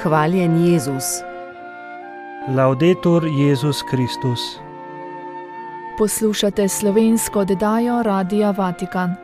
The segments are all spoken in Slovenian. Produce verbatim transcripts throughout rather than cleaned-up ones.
Hvaljen Jezus. Laudetur Jezus Kristus. Poslušate slovensko oddajo Radia Vatikan.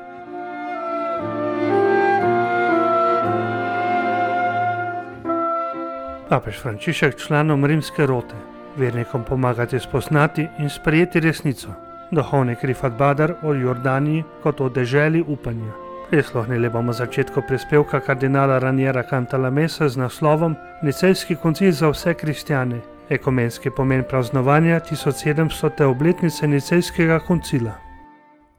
Papež Frančišek članom rimske rote, vernikom pomagati spoznati in sprejeti resnico. Duhovnik Rifat Badar o Jordaniji kot o deželi upanja. Prisluhnili bomo začetku prispevka kardinala Raniera Cantalamessa z naslovom Nicejski koncil za vse kristjane. Ekumenski pomen praznovanja tisoč sedemstote obletnice Nicejskega koncila.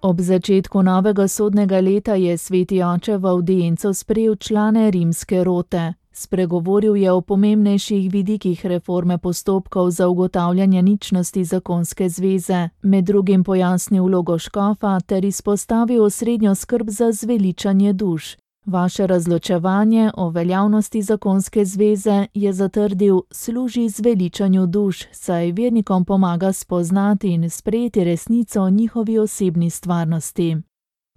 Ob začetku novega sodnega leta je sveti oče v avdienco sprejel člane rimske rote. Spregovoril je o pomembnejših vidikih reforme postopkov za ugotavljanje ničnosti zakonske zveze, med drugim pojasnil vlogo škofa ter izpostavil osrednjo skrb za zveličanje duš. Vaše razločevanje o veljavnosti zakonske zveze, je zatrdil, služi zveličanju duš, saj vernikom pomaga spoznati in sprejeti resnico o njihovi osebni stvarnosti.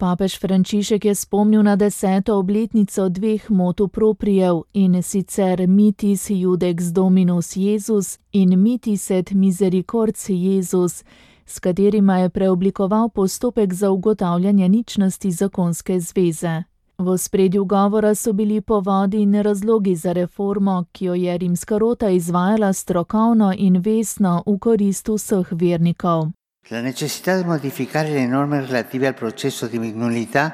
Papež Frančišek je spomnil na deseto obletnico dveh motu proprijev, in sicer Mitis Judex Dominus Jezus in Mitis et Misericords Jezus, s katerima je preoblikoval postopek za ugotavljanje ničnosti zakonske zveze. V ospredju govora so bili povodi in razlogi za reformo, ki jo je rimska rota izvajala strokovno in vestno v korist vseh vernikov. La necessità di modificare le norme relative al processo di mignolità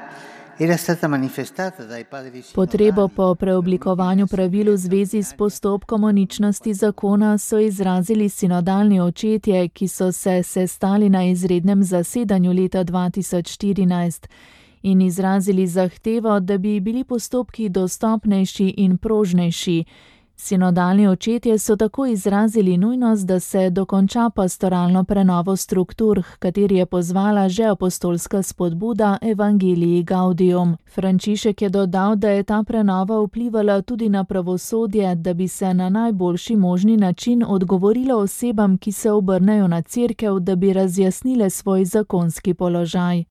era stata manifestata dai padri sinodali. Potrebo po preoblikovanju pravil v zvezi s postopkom o ničnosti zakona so izrazili sinodalni očetje, ki so se sestali na izrednem zasedanju leta dva tisoč štirinajst in izrazili zahtevo, da bi bili postopki dostopnejši in prožnejši. Sinodalni očetje so tako izrazili nujnost, da se dokonča pastoralno prenovo struktur, h kateri je pozvala že apostolska spodbuda Evangelii Gaudium. Frančišek je dodal, da je ta prenova vplivala tudi na pravosodje, da bi se na najboljši možni način odgovorilo osebam, ki se obrnejo na cerkev, da bi razjasnile svoj zakonski položaj.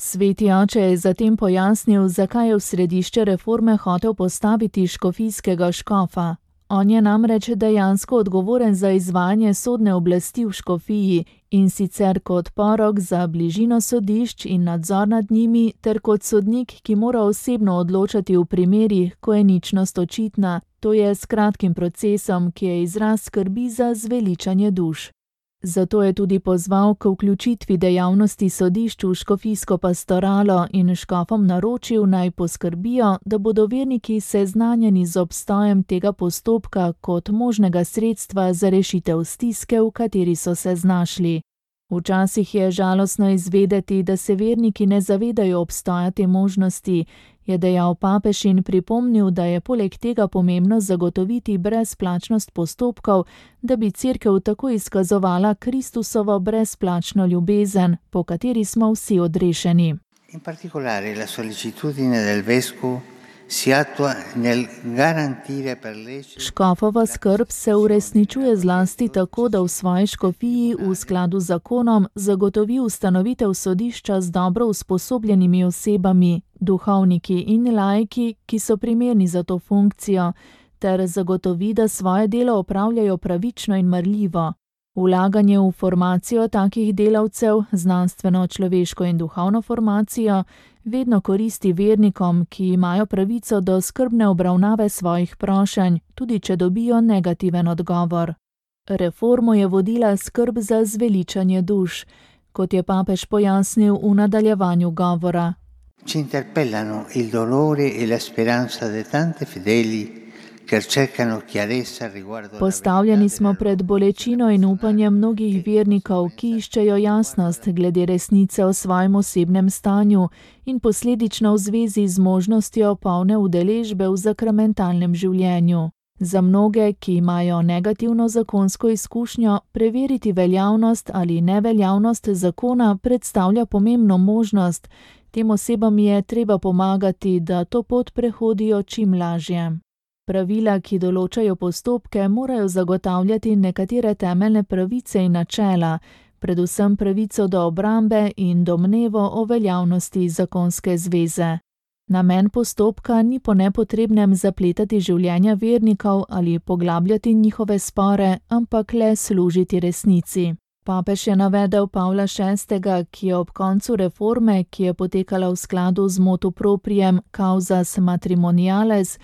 Sveti oče je zatem pojasnil, zakaj je v središče reforme hotel postaviti škofijskega škofa. On je namreč dejansko odgovoren za izvajanje sodne oblasti v škofiji, in sicer kot porok za bližino sodišč in nadzor nad njimi, ter kot sodnik, ki mora osebno odločati v primerih, ko je ničnost očitna, to je s kratkim procesom, ki je izraz skrbi za zveličanje duš. Zato je tudi pozval k vključitvi dejavnosti sodišč v škofijsko pastoralo in škofom naročil, naj poskrbijo, da bodo verniki seznanjeni z obstojem tega postopka kot možnega sredstva za rešitev stiske, v kateri so se znašli. Včasih je žalostno izvedeti, da se verniki ne zavedajo obstoja te možnosti, je dejal papež in pripomnil, da je poleg tega pomembno zagotoviti brezplačnost postopkov, da bi cerkev tako izkazovala Kristusovo brezplačno ljubezen, po kateri smo vsi odrešeni. In particolare la sollecitudine del vescovo si attua nel garantire per lecito. Škofova skrb se uresničuje zlasti tako, da v svoji škofiji v skladu z zakonom zagotovi ustanovitev sodišča z dobro usposobljenimi osebami, duhovniki in laiki, ki so primerni za to funkcijo, ter zagotovi, da svoje delo opravljajo pravično in marljivo. Vlaganje v formacijo takih delavcev, znanstveno, človeško in duhovno formacijo, vedno koristi vernikom, ki imajo pravico do skrbne obravnave svojih prošenj, tudi če dobijo negativen odgovor. Reformo je vodila skrb za zveličanje duš, kot je papež pojasnil v nadaljevanju govora. Ci interpellano il dolore e la speranza di tante fedeli. Postavljeni smo pred bolečino in upanjem mnogih vernikov, ki iščejo jasnost glede resnice o svojem osebnem stanju in posledično v zvezi z možnostjo polne udeležbe v sakramentalnem življenju. Za mnoge, ki imajo negativno zakonsko izkušnjo, preveriti veljavnost ali neveljavnost zakona predstavlja pomembno možnost. Tem osebam je treba pomagati, da to pot prehodijo čim lažje. Pravila, ki določajo postopke, morajo zagotavljati nekatere temeljne pravice in načela, predvsem pravico do obrambe in domnevo o veljavnosti zakonske zveze. Namen postopka ni po nepotrebnem zapletati življenja vernikov ali poglabljati njihove spore, ampak le služiti resnici. Papež je navedel Pavla šestega, ki je ob koncu reforme, ki je potekala v skladu z motu proprium causas matrimoniales,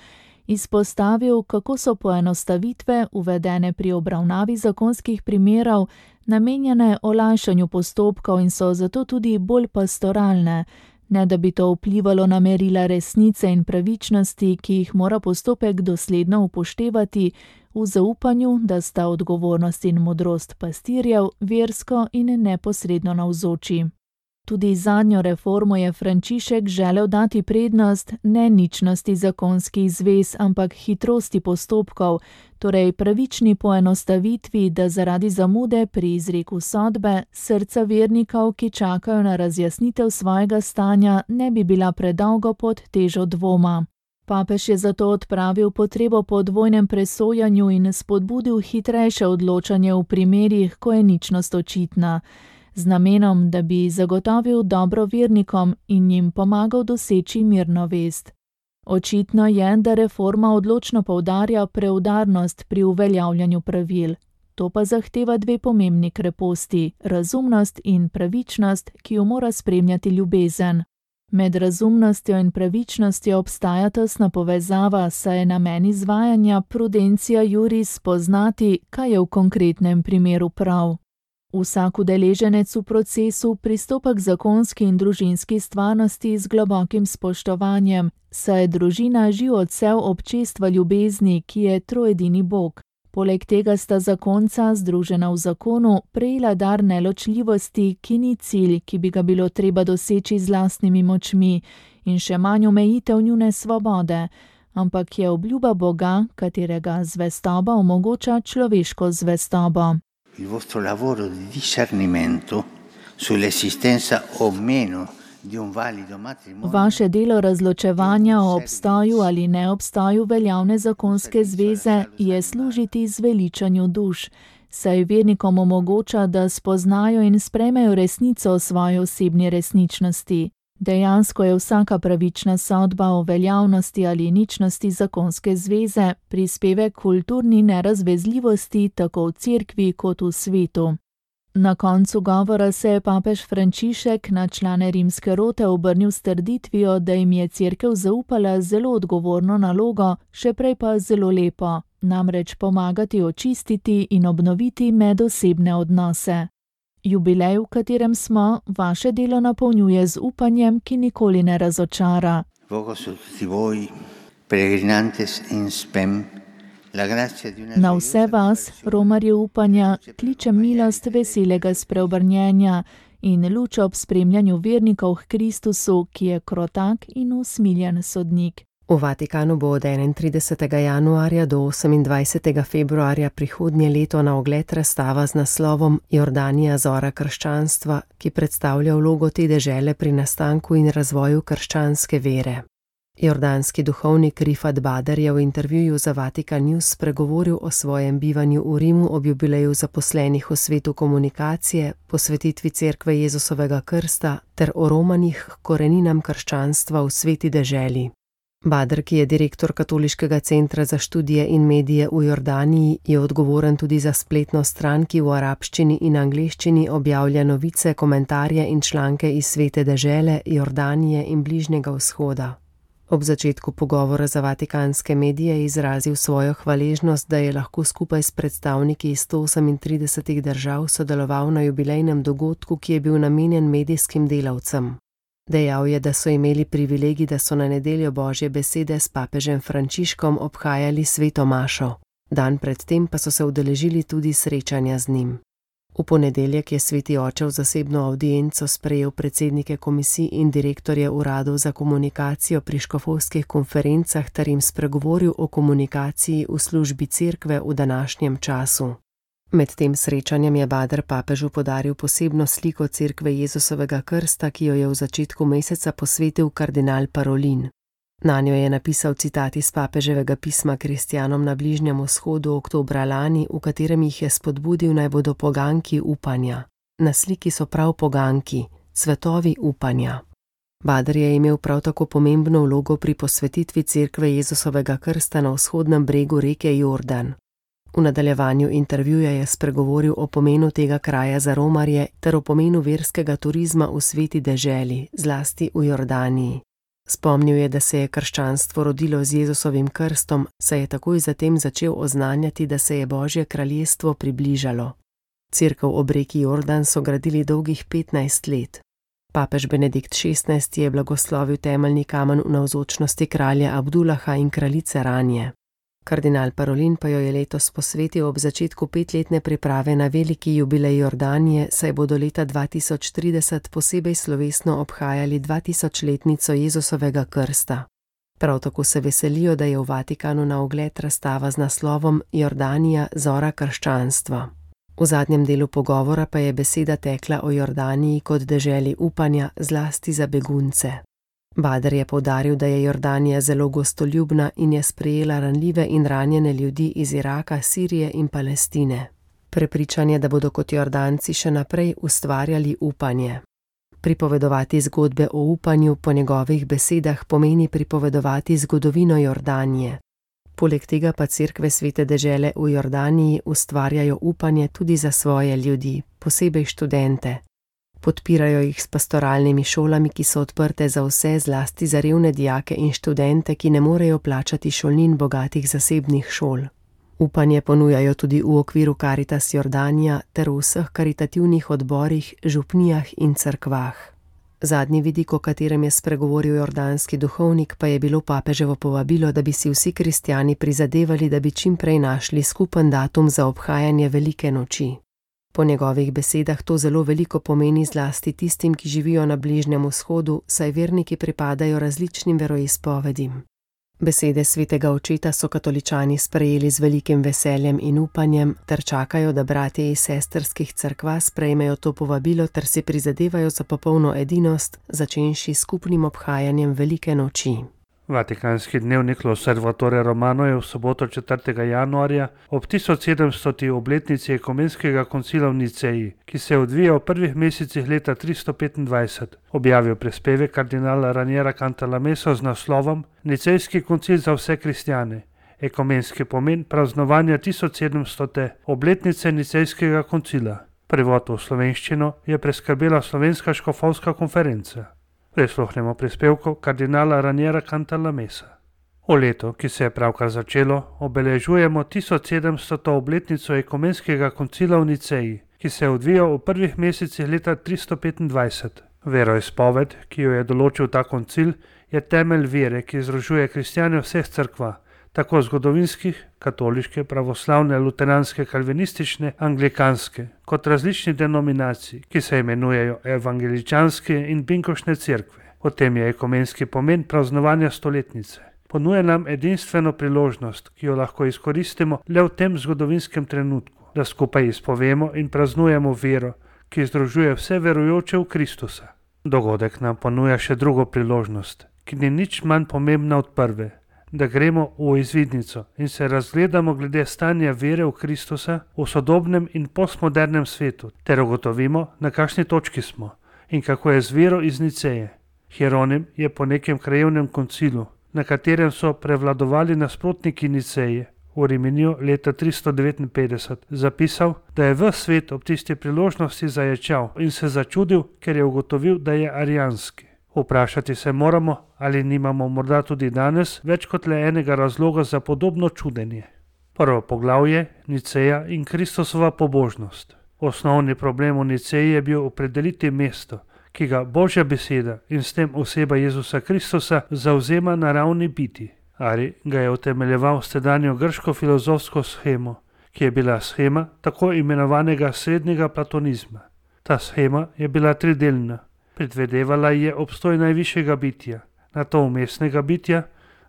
izpostavil, kako so poenostavitve, uvedene pri obravnavi zakonskih primerov, namenjene olajšanju postopkov in so zato tudi bolj pastoralne, ne da bi to vplivalo na merila resnice in pravičnosti, ki jih mora postopek dosledno upoštevati, v zaupanju, da sta odgovornost in modrost pastirjev versko in neposredno navzoči. Tudi zadnjo reformo je Frančišek želel dati prednost ne ničnosti zakonskih zvez, ampak hitrosti postopkov, torej pravični poenostavitvi, da zaradi zamude pri izreku sodbe srca vernikov, ki čakajo na razjasnitev svojega stanja, ne bi bila predolgo pod težo dvoma. Papež je zato odpravil potrebo po dvojnem presojanju in spodbudil hitrejše odločanje v primerih, ko je ničnost očitna, z namenom, da bi zagotovil dobro vernikom in jim pomagal doseči mirno vest. Očitno je, da reforma odločno poudarja preudarnost pri uveljavljanju pravil. To pa zahteva dve pomembni kreposti, razumnost in pravičnost, ki jo mora spremljati ljubezen. Med razumnostjo in pravičnostjo obstaja tesna povezava, saj je namen izvajanja prudentia juris poznati, kaj je v konkretnem primeru prav. Vsak udeleženec v procesu pristopa k zakonski in družinski stvarnosti z globokim spoštovanjem, saj je družina živ odsev občestva ljubezni, ki je troedini Bog. Poleg tega sta zakonca, združena v zakonu, prejela dar neločljivosti, ki ni cilj, ki bi ga bilo treba doseči z lastnimi močmi, in še manj omejitev njune svobode, ampak je obljuba Boga, katerega zvestoba omogoča človeško zvestobo. Il vostro lavoro di discernimento sull'esistenza o meno di un valido matrimonio. Vaše delo razločevanja o obstoju ali neobstoju veljavne zakonske zveze je služiti zveličanju duš, saj vernikom omogoča, da spoznajo in sprejmejo resnico o svoji osebni resničnosti. Dejansko je vsaka pravična sodba o veljavnosti ali ničnosti zakonske zveze prispevek kulturni nerazvezljivosti tako v cerkvi kot v svetu. Na koncu govora se je papež Frančišek na člane rimske rote obrnil s trditvijo, da jim je cerkev zaupala zelo odgovorno nalogo, še prej pa zelo lepo, namreč pomagati očistiti in obnoviti medosebne odnose. Jubilej, v katerem smo, vaše delo napolnjuje z upanjem, ki nikoli ne razočara. Na vse vas, romarje upanja, kliče milost veselega spreobrnjenja in luč ob spremljanju vernikov k Kristusu, ki je krotak in usmiljen sodnik. V Vatikanu bo od enaintridesetega januarja do osemindvajsetega februarja prihodnje leto na ogled razstava z naslovom Jordanija zora krščanstva, ki predstavlja vlogo te dežele pri nastanku in razvoju krščanske vere. Jordanski duhovnik Rifat Bader je v intervjuju za Vatikan News spregovoril o svojem bivanju v Rimu ob jubileju zaposlenih v svetu komunikacije, posvetitvi cerkve Jezusovega krsta ter o romanih k koreninam krščanstva v sveti deželi. Bader, ki je direktor Katoliškega centra za študije in medije v Jordaniji, je odgovoren tudi za spletno stran, ki v arabščini in angleščini objavlja novice, komentarje in članke iz svete dežele, Jordanije in Bližnjega vzhoda. Ob začetku pogovora za vatikanske medije je izrazil svojo hvaležnost, da je lahko skupaj s predstavniki iz sto osemintridesetih držav sodeloval na jubilejnem dogodku, ki je bil namenjen medijskim delavcem. Dejal je, da so imeli privilegij, da so na nedeljo Božje besede s papežem Frančiškom obhajali sveto mašo. Dan predtem pa so se udeležili tudi srečanja z njim. V ponedeljek je sveti oče v zasebno avdienco sprejel predsednike komisij in direktorje uradov za komunikacijo pri škofovskih konferencah ter jim spregovoril o komunikaciji v službi cerkve v današnjem času. Med tem srečanjem je Bader papežu podaril posebno sliko cerkve Jezusovega krsta, ki jo je v začetku meseca posvetil kardinal Parolin. Nanjo je napisal citat iz papeževega pisma kristjanom na Bližnjem vzhodu oktobra lani, v katerem jih je spodbudil, naj bodo poganki upanja. Na sliki so prav poganki, cvetovi upanja. Bader je imel prav tako pomembno vlogo pri posvetitvi cerkve Jezusovega krsta na vzhodnem bregu reke Jordan. V nadaljevanju intervjuja je spregovoril o pomenu tega kraja za romarje ter o pomenu verskega turizma v sveti deželi, zlasti v Jordaniji. Spomnil je, da se je krščanstvo rodilo z Jezusovim krstom, saj je takoj zatem začel oznanjati, da se je Božje kraljestvo približalo. Cerkev ob reki Jordan so gradili dolgih petnajst let. Papež Benedikt šestnajsti je blagoslovil temeljni kamen v navzočnosti kralja Abdullaha in kraljice Ranje. Kardinal Parolin pa jo je letos posvetil ob začetku petletne priprave na veliki jubilej Jordanije, saj bodo leta dva tisoč trideset posebej slovesno obhajali dvatisočletnico Jezusovega krsta. Prav tako se veselijo, da je v Vatikanu na ogled razstava z naslovom Jordanija, zora krščanstva. V zadnjem delu pogovora pa je beseda tekla o Jordaniji kot deželi upanja, zlasti za begunce. Bader je poudaril, da je Jordanija zelo gostoljubna in je sprejela ranljive in ranjene ljudi iz Iraka, Sirije in Palestine. Prepričan je, da bodo kot Jordanci še naprej ustvarjali upanje. Pripovedovati zgodbe o upanju po njegovih besedah pomeni pripovedovati zgodovino Jordanije. Poleg tega pa cerkve svete dežele v Jordaniji ustvarjajo upanje tudi za svoje ljudi, posebej študente. Podpirajo jih s pastoralnimi šolami, ki so odprte za vse, zlasti za revne dijake in študente, ki ne morejo plačati šolnin bogatih zasebnih šol. Upanje ponujajo tudi v okviru Caritas Jordanija ter v vseh karitativnih odborih, župnijah in cerkvah. Zadnji vidik, o katerem je spregovoril jordanski duhovnik, pa je bilo papeževo povabilo, da bi si vsi kristjani prizadevali, da bi čim prej našli skupen datum za obhajanje velike noči. Po njegovih besedah to zelo veliko pomeni zlasti tistim, ki živijo na Bližnjem vzhodu, saj verniki pripadajo različnim veroizpovedim. Besede svetega očeta so katoličani sprejeli z velikim veseljem in upanjem ter čakajo, da bratje iz sestrskih cerkva sprejmejo to povabilo ter si prizadevajo za popolno edinost, začenši s skupnim obhajanjem velike noči. Vatikanski dnevnik L'Osservatore Romano je v soboto četrtega januarja ob tisoč sedemstoti obletnici ekumenskega koncila v Niceji, ki se odvija v prvih mesecih leta tristo petindvajset, objavil prispevek kardinala Raniera Cantalamessa z naslovom Nicejski koncil za vse kristjane. Ekumenski pomen praznovanja tisoč sedemstote obletnice Nicejskega koncila. Prevod v slovenščino je preskrbela Slovenska škofovska konferenca. Prisluhnemo prispevku kardinala Raniera Cantalamessa. V letu, ki se je pravkar začelo, obeležujemo tisoč sedemstoto obletnico ekumenskega koncila v Niceji, ki se je odvijal v prvih mesecih leta tristo petindvajset. Veroizpoved, ki jo je določil ta koncil, je temelj vere, ki združuje kristjane vseh cerkva, tako zgodovinskih, katoliške, pravoslavne, luteranske, kalvinistične, anglikanske, kot različnih denominacij, ki se imenujejo evangeličanske in binkošne cerkve. Potem je ekumenski pomen praznovanja stoletnice. Ponuja nam edinstveno priložnost, ki jo lahko izkoristimo le v tem zgodovinskem trenutku, da skupaj izpovemo in praznujemo vero, ki združuje vse verujoče v Kristusa. Dogodek nam ponuja še drugo priložnost, ki ni nič manj pomembna od prve, da gremo v izvidnico in se razgledamo glede stanja vere v Kristusa v sodobnem in postmodernem svetu, ter ugotovimo, na kakšni točki smo in kako je z vero iz Niceje. Hieronim je po nekem krajevnem koncilu, na katerem so prevladovali nasprotniki Niceje, v Riminiju leta tristo devetinpetdeset, zapisal, da je ves svet ob tisti priložnosti zaječal in se začudil, ker je ugotovil, da je arijanski. Vprašati se moramo, ali nimamo morda tudi danes več kot le enega razloga za podobno čudenje. Prvo poglavje, Niceja in Kristusova pobožnost. Osnovni problem v Niceji je bil opredeliti mesto, ki ga Božja beseda in s tem oseba Jezusa Kristusa zavzema na ravni biti. Ari ga je utemeljeval s tedanjo grško filozofsko shemo, ki je bila shema tako imenovanega srednjega platonizma. Ta shema je bila tridelna. Predvedevala je obstoj najvišjega bitja, nato vmesnega bitja,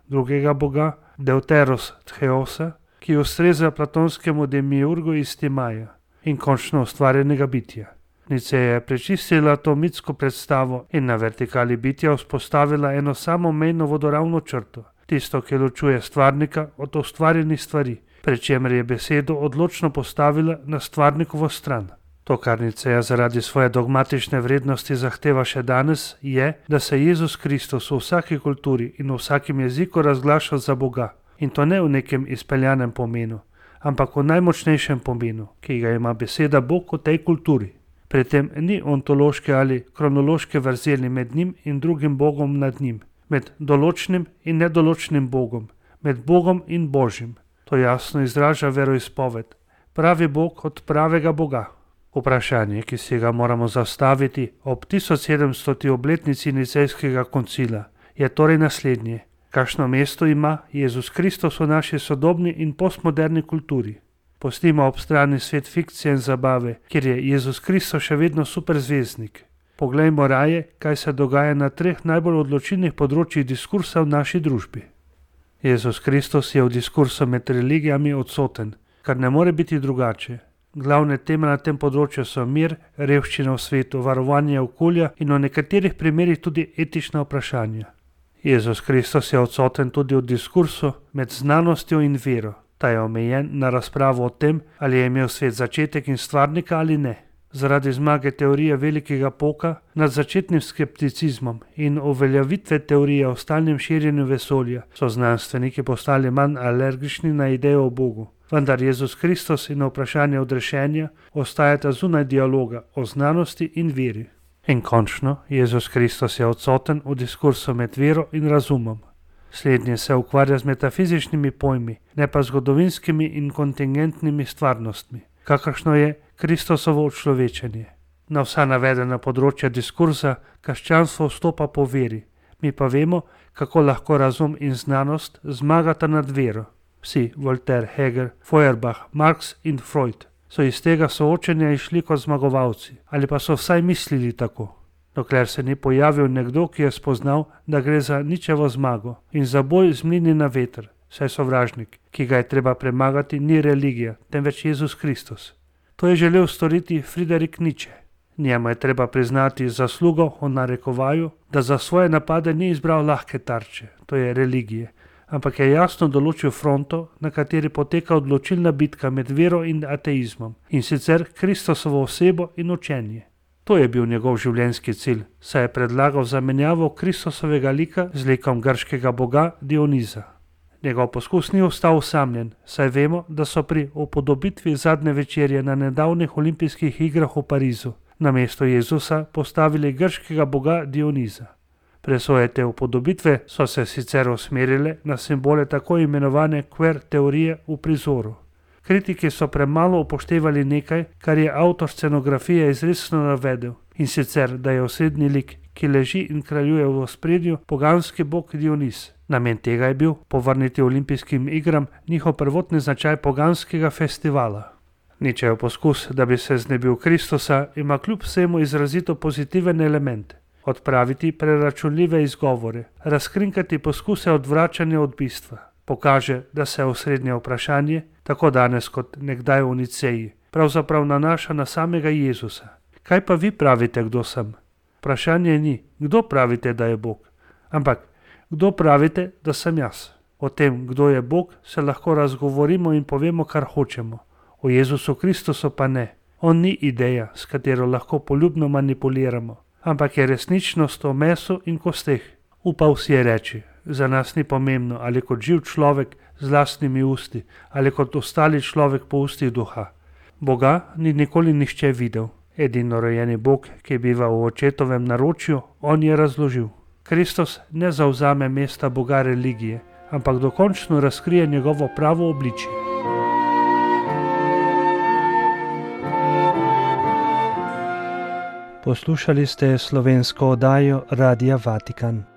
drugega boga, Deuteros Theosa, ki ustreza platonskemu demiurgu iz Timaja, in končno ustvarjenega bitja. Niceja je prečistila to mitsko predstavo in na vertikali bitja vzpostavila eno samo mejno vodoravno črto, tisto, ki ločuje stvarnika od ustvarjenih stvari, pri čemer je besedo odločno postavila na stvarnikovo stran. To, kar Niceja zaradi svoje dogmatične vrednosti zahteva še danes, je, da se Jezus Kristus v vsaki kulturi in v vsakem jeziku razglaša za Boga. In to ne v nekem izpeljanem pomenu, ampak v najmočnejšem pomenu, ki ga ima beseda Bog v tej kulturi. Pri tem ni ontološke ali kronološke vrzeli med njim in drugim Bogom nad njim, med določnim in nedoločnim Bogom, med Bogom in Božjim. To jasno izraža veroizpoved. Pravi Bog od pravega Boga. Vprašanje, ki si ga moramo zastaviti ob tisoč sedemstoti obletnici Nicejskega koncila, je torej naslednje. Kakšno mesto ima Jezus Kristus v naši sodobni in postmoderni kulturi? Pustimo ob strani svet fikcije in zabave, kjer je Jezus Kristus še vedno superzvezdnik. Poglejmo raje, kaj se dogaja na treh najbolj odločilnih področjih diskursa v naši družbi. Jezus Kristus je v diskursu med religijami odsoten, kar ne more biti drugače. Glavne teme na tem področju so mir, revščina v svetu, varovanje okolja in v nekaterih primerih tudi etična vprašanja. Jezus Kristus je odsoten tudi v diskursu med znanostjo in vero. Ta je omejen na razpravo o tem, ali je imel svet začetek in stvarnika ali ne. Zaradi zmage teorije velikega poka nad začetnim skepticizmom in uveljavitve teorije o stalnem širjenju vesolja so znanstveniki postali manj alergični na idejo o Bogu. Vendar Jezus Kristus in vprašanje odrešenja ostajata zunaj dialoga o znanosti in veri. In končno, Jezus Kristus je odsoten v diskursu med vero in razumom. Slednje se ukvarja z metafizičnimi pojmi, ne pa zgodovinskimi in kontingentnimi stvarnostmi, kakršno je Kristusovo učlovečenje. Na vsa navedena področja diskursa krščanstvo vstopa po veri, mi pa vemo, kako lahko razum in znanost zmagata nad vero. Vsi, Voltaire, Hegel, Feuerbach, Marx in Freud, so iz tega soočenja išli kot zmagovalci, ali pa so vsaj mislili tako. Dokler se ni pojavil nekdo, ki je spoznal, da gre za ničevo zmago in za boj z mlini na veter, saj sovražnik, ki ga je treba premagati, ni religija, temveč Jezus Kristus. To je želel storiti Friedrich Nietzsche. Njemu je treba priznati zaslugo o narekovaju, da za svoje napade ni izbral lahke tarče, to je religije, ampak je jasno določil fronto, na kateri poteka odločilna bitka med vero in ateizmom, in sicer Kristusovo osebo in učenje. To je bil njegov življenjski cilj, saj je predlagal zamenjavo Kristusovega lika z likom grškega boga Dioniza. Njegov poskus ni ostal osamljen, saj vemo, da so pri upodobitvi zadnje večerje na nedavnih olimpijskih igrah v Parizu namesto Jezusa postavili grškega boga Dioniza. Presoje te upodobitve so se sicer usmerile na simbole tako imenovane queer teorije v prizoru. Kritiki so premalo upoštevali nekaj, kar je avtor scenografije izrecno navedel, in sicer, da je osrednji lik, ki leži in kraljuje v ospredju, poganski bog Dioniz. Namen tega je bil povrniti olimpijskim igram njihov prvotni značaj poganskega festivala. Nietzschejev poskus, da bi se znebil Kristusa, ima kljub vsemu izrazito pozitiven element. Odpraviti preračunljive izgovore, razkrinkati poskuse odvračanja od bistva. Pokaže, da se osrednje vprašanje, tako danes kot nekdaj v Niceji, pravzaprav nanaša na samega Jezusa. Kaj pa vi pravite, kdo sem? Vprašanje ni, kdo pravite, da je Bog, ampak kdo pravite, da sem jaz. O tem, kdo je Bog, se lahko razgovorimo in povemo, kar hočemo. O Jezusu Kristusu pa ne. On ni ideja, s katero lahko poljubno manipuliramo, ampak je resničnost o mesu in kosteh. Upal si je reči, za nas ni pomembno, ali kot živ človek z lastnimi usti, ali kot ostali človek po ustih duha. Boga ni nikoli nihče videl. Edino rojeni Bog, ki biva v očetovem naročju, on je razložil. Kristus ne zavzame mesta Boga religije, ampak dokončno razkrije njegovo pravo obličje. Poslušali ste slovensko oddajo Radia Vatikan.